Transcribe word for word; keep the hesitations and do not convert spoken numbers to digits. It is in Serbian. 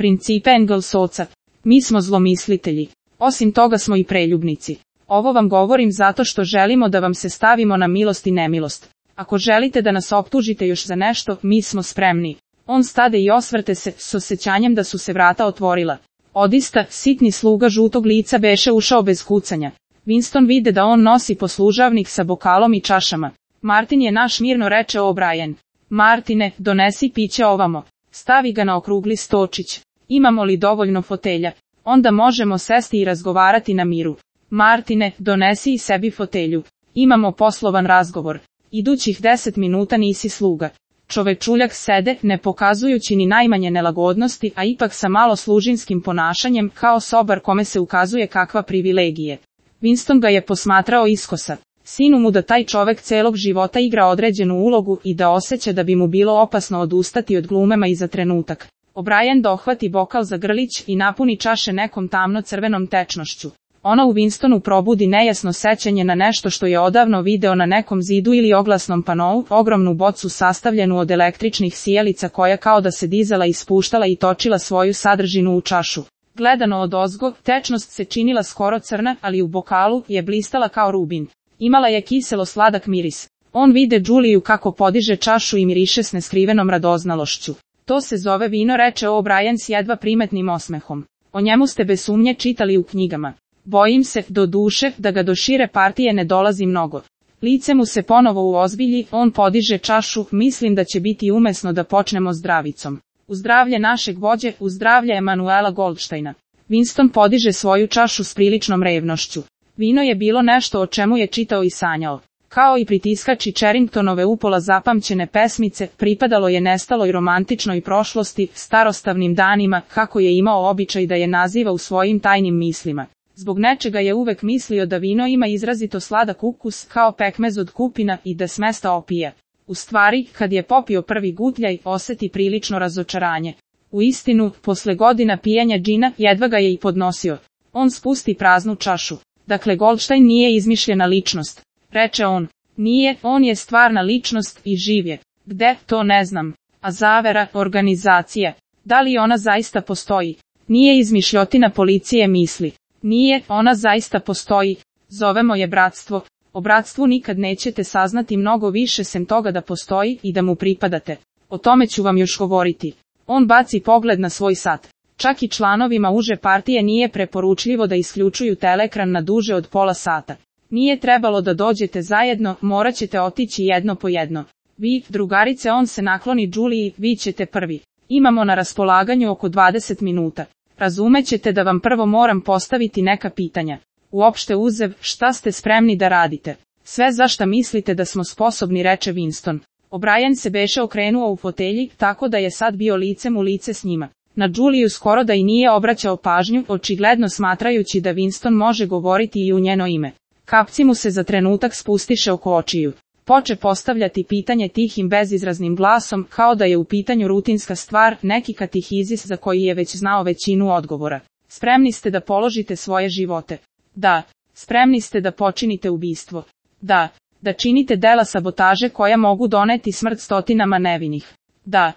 Principe Engelsovca. Mi smo zlomislitelji. Osim toga smo i preljubnici. Ovo vam govorim zato što želimo da vam se stavimo na milost i nemilost. Ako želite da nas optužite još za nešto, mi smo spremni. On stade i osvrte se, s osjećanjem da su se vrata otvorila. Odista, sitni sluga žutog lica beše ušao bez kucanja. Winston vide da on nosi poslužavnik sa bokalom i čašama. Martin je naš, mirno reče O'Brien. Martine, donesi piće ovamo. Stavi ga na okrugli stočić. Imamo li dovoljno fotelja? Onda možemo sesti i razgovarati na miru. Martine, donesi i sebi fotelju. Imamo poslovan razgovor. Idućih deset minuta nisi sluga. Čovečuljak sede, ne pokazujući ni najmanje nelagodnosti, a ipak sa malo služinskim ponašanjem, kao sobar kome se ukazuje kakva privilegije. Winston ga je posmatrao iskosa. Sinu mu da taj čovek celog života igra određenu ulogu i da osjeća da bi mu bilo opasno odustati od glumema i za trenutak. O'Brien dohvati bokal za grlić i napuni čaše nekom tamno-crvenom tečnošću. Ona u Winstonu probudi nejasno sećanje na nešto što je odavno video na nekom zidu ili oglasnom panou, ogromnu bocu sastavljenu od električnih sijalica koja kao da se dizala i spuštala i točila svoju sadržinu u čašu. Gledano odozgo, tečnost se činila skoro crna, ali u bokalu je blistala kao rubin. Imala je kiselo sladak miris. On vide Juliju kako podiže čašu i miriše s neskrivenom radoznalošću. To se zove vino, reče O'Brien s jedva primetnim osmehom. O njemu ste bez sumnje čitali u knjigama. Bojim se, do duše, da ga do šire partije ne dolazi mnogo. Lice mu se ponovo uozbilji, on podiže čašu, mislim da će biti umesno da počnemo zdravicom. U zdravlje našeg vođe, u zdravlje Emanuela Goldsteina. Winston podiže svoju čašu s priličnom revnošću. Vino je bilo nešto o čemu je čitao i sanjao. Kao i pritiskači Cherringtonove upola zapamćene pesmice, pripadalo je nestaloj romantičnoj prošlosti, starostavnim danima, kako je imao običaj da je naziva u svojim tajnim mislima. Zbog nečega je uvek mislio da vino ima izrazito sladak ukus, kao pekmez od kupina, i da smesta opija. U stvari, kad je popio prvi gutljaj, oseti prilično razočaranje. U istinu, posle godina pijenja džina, jedva ga je i podnosio. On spusti praznu čašu. Dakle, Goldstein nije izmišljena ličnost, reče on. Nije, on je stvarna ličnost i živ je. Gde, to ne znam. A zavera, organizacija. Da li ona zaista postoji? Nije izmišljotina policije misli. Nije, ona zaista postoji. Zovemo je bratstvo. O bratstvu nikad nećete saznati mnogo više sem toga da postoji i da mu pripadate. O tome ću vam još govoriti. On baci pogled na svoj sat. Čak i članovima uže partije nije preporučljivo da isključuju telekran na duže od pola sata. Nije trebalo da dođete zajedno, morat ćete otići jedno po jedno. Vi, drugarice, on se nakloni Juliji, vi ćete prvi. Imamo na raspolaganju oko dvadeset minuta. Razumećete da vam prvo moram postaviti neka pitanja. Uopšte uzev, šta ste spremni da radite? Sve za šta mislite da smo sposobni, reče Winston. O'Brien se beše okrenuo u fotelji, tako da je sad bio licem u lice s njima. Na Juliju skoro da i nije obraćao pažnju, očigledno smatrajući da Winston može govoriti i u njeno ime. Kapci mu se za trenutak spustiše oko očiju. Poče postavljati pitanje tihim bezizraznim glasom, kao da je u pitanju rutinska stvar, neki katihizis za koji je već znao većinu odgovora. Spremni ste da položite svoje živote? Da. Spremni ste da počinite ubistvo? Da. Da činite dela sabotaže koja mogu doneti smrt stotinama nevinih? Da.